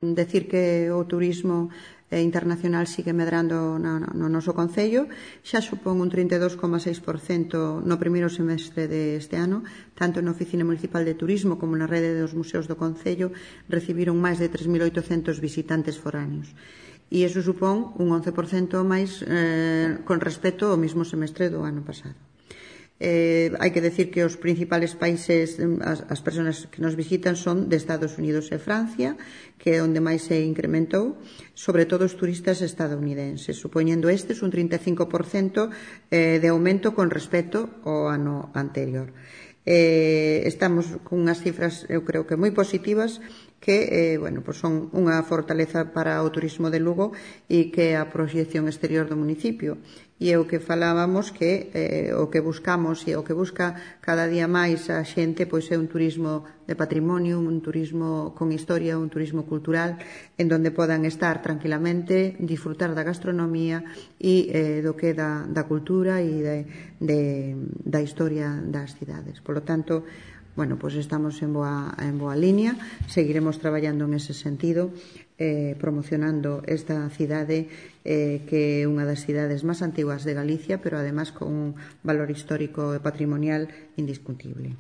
Decir que o turismo internacional sigue medrando no noso concello, xa supón un 32,6% no primeiro semestre deste ano, tanto na Oficina Municipal de Turismo como na rede dos museos do concello recibiron máis de 3.800 visitantes foráneos. E iso supón un 11% máis con respecto ao mesmo semestre do ano pasado. Hai que decir que os principales países, as persoas que nos visitan son de Estados Unidos e Francia, que é onde máis se incrementou, sobre todo os turistas estadounidenses, supoñendo estes un 35% de aumento con respecto ao ano anterior. Estamos con unhas cifras, eu creo que moi positivas, que son unha fortaleza para o turismo de Lugo e que é a proxección exterior do municipio. E é o que falábamos que o que buscamos e o que busca cada día máis a xente pois é un turismo de patrimonio, un turismo con historia, un turismo cultural en donde podan estar tranquilamente, disfrutar da gastronomía e do que é da cultura e da historia das cidades. Por lo tanto, pois estamos en boa línea, seguiremos traballando en ese sentido, promocionando esta cidade que é unha das cidades máis antiguas de Galicia, pero además con un valor histórico e patrimonial indiscutible.